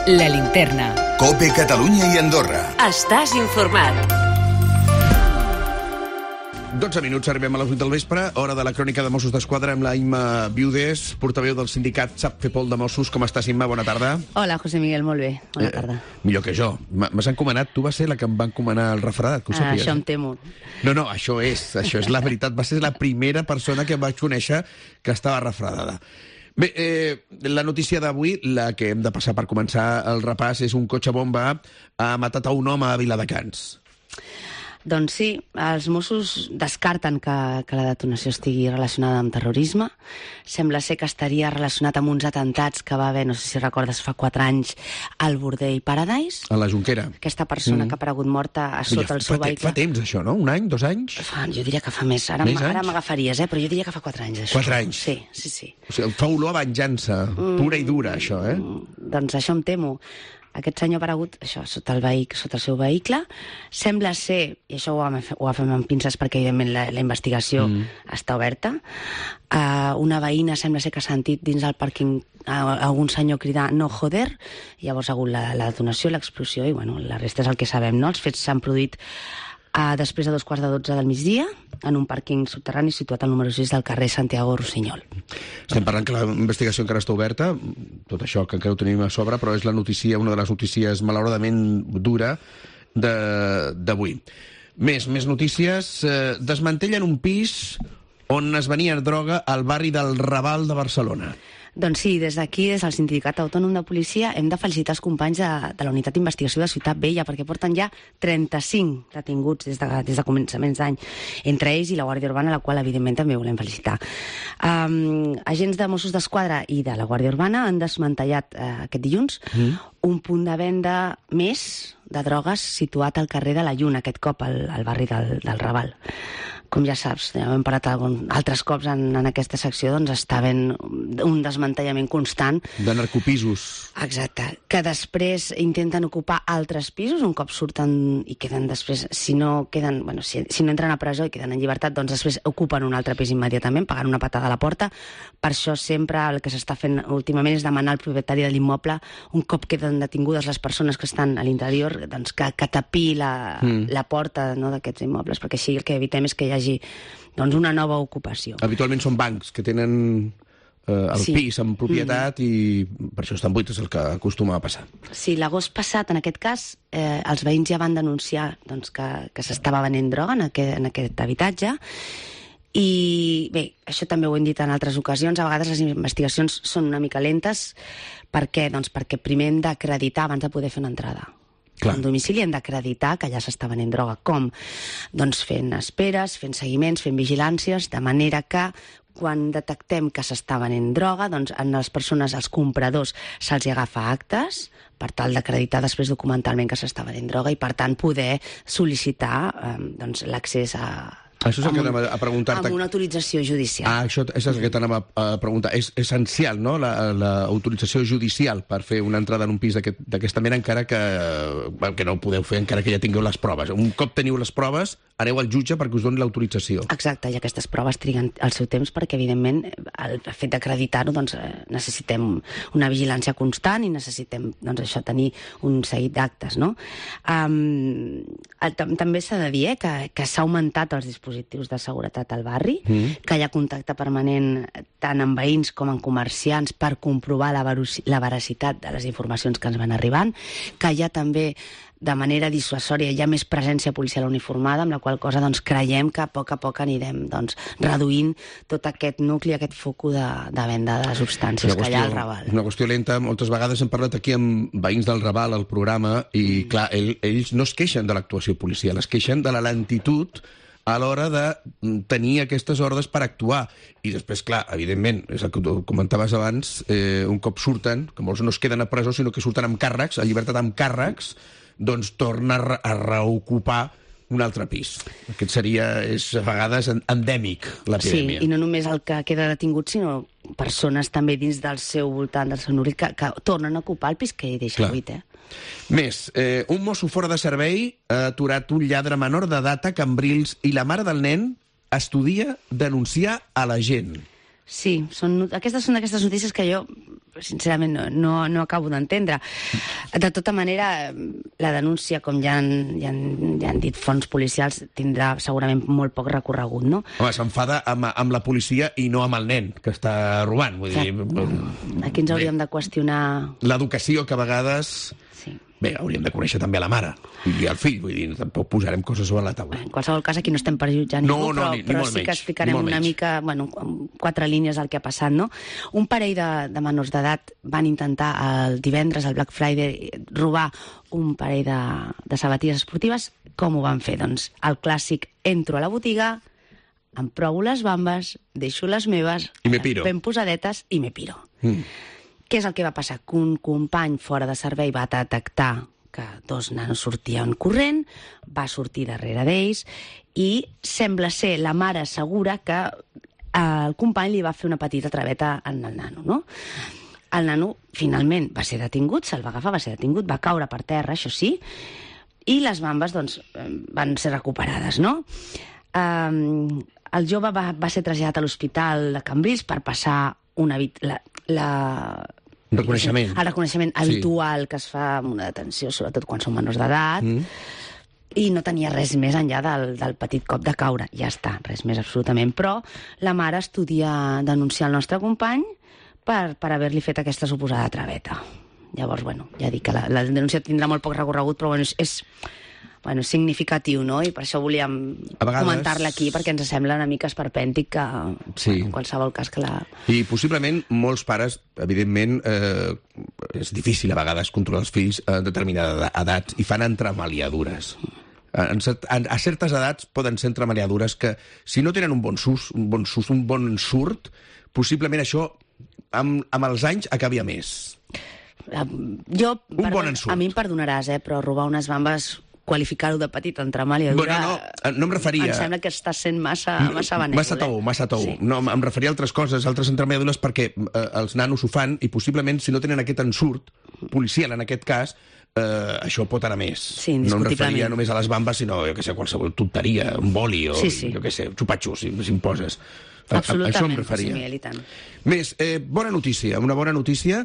La Linterna. COPE Catalunya i Andorra. Estàs informat. 12 minuts, arribem a les 8 del vespre, hora de la crònica de Mossos d'Esquadra amb la Imma Viudés, portaveu del sindicat Sap Fer Pol de Mossos. Com estàs, Imma? Bona tarda. Hola, José Miguel, molt bé. Bona tarda. Millor que jo. M'has encomanat, tu vas ser la que em va encomanar el refredat, que ho sàpies. Això em temo. No, això és la veritat. Va ser la primera persona que em vaig conèixer que estava refredada. Bé, la notícia d'avui, la que hem de passar per començar el repàs, és un cotxe bomba ha matat a un home a Viladecans. Doncs sí, els Mossos descarten que la detonació estigui relacionada amb terrorisme. Sembla ser que estaria relacionat amb uns atentats que va haver, no sé si recordes, fa 4 anys al Bordell Paradise. A la Jonquera. Aquesta persona que ha aparegut morta a sota el seu vehicle. Fa temps, això, no? Un any, 2 anys? Jo diria que fa més. Ara m'agafaries, però jo diria que fa 4 anys, això. 4 anys? Sí. O sigui, fa olor a venjança, pura i dura, això, Doncs això em temo. Aquest senyor ha aparegut sota el seu vehicle. Sembla ser, i això ho agafem amb pinces perquè evidentment la investigació està oberta, una veïna sembla ser que ha sentit dins del pàrquing algun senyor cridar "no joder", llavors ha hagut la detonació, l'explosió, i la resta és el que sabem, no? Els fets s'han produït després de 2:15 del migdia, en un pàrquing subterrani situat al número 6 del carrer Santiago Rossinyol. Estem parlant que la investigació encara està oberta, tot això que encara ho tenim a sobre, però és una de les notícies malauradament dura d'avui. Més notícies. Desmantellen un pis on es venia droga al barri del Raval de Barcelona. Doncs sí, des d'aquí, des del Sindicat Autònom de Policia, hem de felicitar els companys de la Unitat d'Investigació de Ciutat Vella, perquè porten ja 35 detinguts des de començaments d'any, entre ells i la Guàrdia Urbana, la qual, evidentment, també volem felicitar. Agents de Mossos d'Esquadra i de la Guàrdia Urbana han desmantellat aquest dilluns un punt de venda més de drogues situat al carrer de la Lluna, aquest cop al barri del Raval. Com ja saps, ja hem parlat altres cops en aquesta secció, doncs està havent un desmantellament constant. De narcopisos. Exacte. Que després intenten ocupar altres pisos, un cop surten i queden després, si no entren a presó i queden en llibertat, doncs després ocupen un altre pis immediatament, pagant una patada a la porta. Per això sempre el que s'està fent últimament és demanar al propietari de l'immoble, un cop queden detingudes les persones que estan a l'interior, doncs que tapí la porta d'aquests immobles, perquè així el que evitem és que hi hagi una nova ocupació. Habitualment són bancs que tenen el pis en propietat i per això estan buits, és el que acostuma a passar. Sí, l'agost passat, en aquest cas, els veïns ja van denunciar que s'estava venent droga en aquest habitatge. I bé, això també ho hem dit en altres ocasions, a vegades les investigacions són una mica lentes. Per què? Doncs perquè primer hem d'acreditar abans de poder fer una entrada. En domicili hem d'acreditar que allà s'està venent droga. Com? Doncs fent esperes, fent seguiments, fent vigilàncies, de manera que quan detectem que s'està venent droga, doncs a les persones, als compradors, se'ls agafa actes per tal d'acreditar després documentalment que s'està venent droga i, per tant, poder sol·licitar l'accés això és el que anava a preguntar-te. Amb una autorització judicial. Això és el que t'anava a preguntar. És essencial, no?, l'autorització judicial per fer una entrada en un pis d'aquesta mena, encara que no ho podeu fer, encara que ja tingueu les proves. Un cop teniu les proves, aneu al jutge perquè us doni l'autorització. Exacte, i aquestes proves triguen el seu temps perquè, evidentment, el fet d'acreditar-ho, doncs, necessitem una vigilància constant i necessitem, això, tenir un seguit d'actes, no? També s'ha de dir que s'ha augmentat els dispositius de seguretat al barri, que hi ha contacte permanent tant amb veïns com amb comerciants per comprovar la veracitat de les informacions que ens van arribant, que hi ha també, de manera dissuasòria, hi ha més presència policial uniformada, amb la qual cosa creiem que a poc anirem reduint tot aquest nucli, aquest focus de venda de substàncies que hi ha al Raval. Una qüestió lenta. Moltes vegades hem parlat aquí amb veïns del Raval al programa i, clar, ells no es queixen de l'actuació policial, es queixen de la lentitud a l'hora de tenir aquestes ordres per actuar. I després, clar, evidentment, és el que tu comentaves abans, un cop surten, que molts no es queden a presó, sinó que surten amb càrrecs, a llibertat amb càrrecs, doncs torna a reocupar un altre pis. Aquest és a vegades endèmic, l'epidèmia. Sí, i no només el que queda detingut, sinó persones també dins del seu voltant, del seu nucli, que tornen a ocupar el pis que hi deixa buit, Més, un mosso fora de servei ha aturat un lladre menor d'edat a Cambrils i la mare del nen estudia denunciar a la gent. Sí, aquestes són d'aquestes notícies que jo sincerament no acabo d'entendre. De tota manera, la denúncia, com ja han dit fonts policials, tindrà segurament molt poc recorregut, no? Home, s'enfada amb la policia i no amb el nen que està robant. Vull dir, aquí ens hauríem de qüestionar... L'educació, que a vegades... Sí. Bé, hauríem de conèixer també la mare i el fill, vull dir, tampoc posarem coses sobre la taula. En qualsevol cas, aquí no estem per jutjar ningú, però sí que explicarem una mica, amb 4 línies el que ha passat, no? Un parell de menors d'edat van intentar el divendres, al Black Friday, robar un parell de sabatilles esportives. Com ho van fer? Doncs el clàssic, entro a la botiga, em provo les bambes, deixo les meves, ben posadetes i me piro. Què és el que va passar? Que un company fora de servei va detectar que 2 nanos sortien corrent, va sortir darrere d'ells i sembla ser la mare segura que el company li va fer una petita traveta en el nano, no? El nano finalment va ser detingut, se'l va agafar, va ser detingut, va caure per terra, això sí, i les bambes doncs, van ser recuperades, no? El jove va ser traslladat a l'hospital de Cambrils per passar reconeixement. El reconeixement habitual que es fa amb una detenció, sobretot quan són menors d'edat, i no tenia res més enllà del petit cop de caure. Ja està, res més absolutament. Però la mare estudia denunciar el nostre company per haver-li fet aquesta suposada traveta. Llavors, ja dic que la denúncia tindrà molt poc recorregut, però és significatiu, no? I per això volíem comentar-la aquí, perquè ens sembla una mica esperpèntic que, en qualsevol cas, que la... I possiblement molts pares, evidentment, és difícil a vegades controlar els fills a determinades edats i fan entremaliadures. A certes edats poden ser entremaliadures que, si no tenen un bon surt, possiblement això, amb els anys, acabi a més. Un bon ensurt. A mi em perdonaràs, però robar unes bambes, qualificar-ho de petita entremaliadura... No em referia... Em sembla que està sent massa benèvol. Massa tou. Sí. No, em referia a altres coses, altres entremaliadures, perquè els nanos ho fan i possiblement, si no tenen aquest ensurt policial, en aquest cas, això pot anar més. Sí, no em referia només a les bambes, sinó, qualsevol tonteria, un boli o, xupatxos, si em poses. Absolutament. Això em referia. Sí, tant. Més, una bona notícia.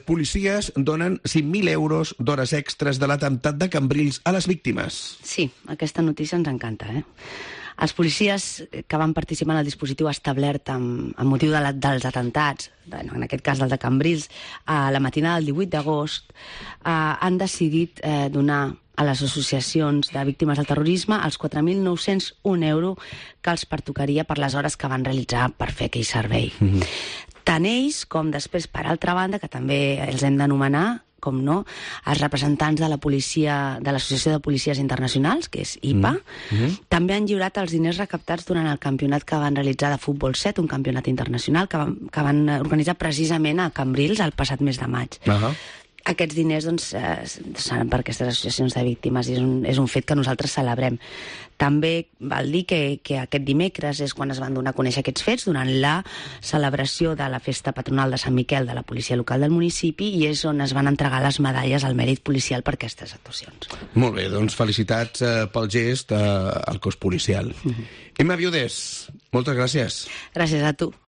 Policies donen 5.000 euros d'hores extres de l'atemptat de Cambrils a les víctimes. Sí, aquesta notícia ens encanta, Els policies que van participar en el dispositiu establert amb motiu dels atemptats, en aquest cas del de Cambrils, a la matinada del 18 d'agost, han decidit donar a les associacions de víctimes del terrorisme els 4.901 euros que els pertocaria per les hores que van realitzar per fer aquell servei. Tant ells com després, per altra banda, que també els hem d'anomenar, com no, els representants de la policia, de l'Associació de Policies Internacionals, que és IPA, també han lliurat els diners recaptats durant el campionat que van realitzar de futbol 7, un campionat internacional que van organitzar precisament a Cambrils el passat mes de maig. Aquests diners seran per aquestes associacions de víctimes i és un fet que nosaltres celebrem. També val dir que aquest dimecres és quan es van donar a conèixer aquests fets, durant la celebració de la festa patronal de Sant Miquel de la policia local del municipi, i és on es van entregar les medalles al mèrit policial per aquestes actuacions. Molt bé, doncs felicitats pel gest al cos policial. Emma Viudés, moltes gràcies. Gràcies a tu.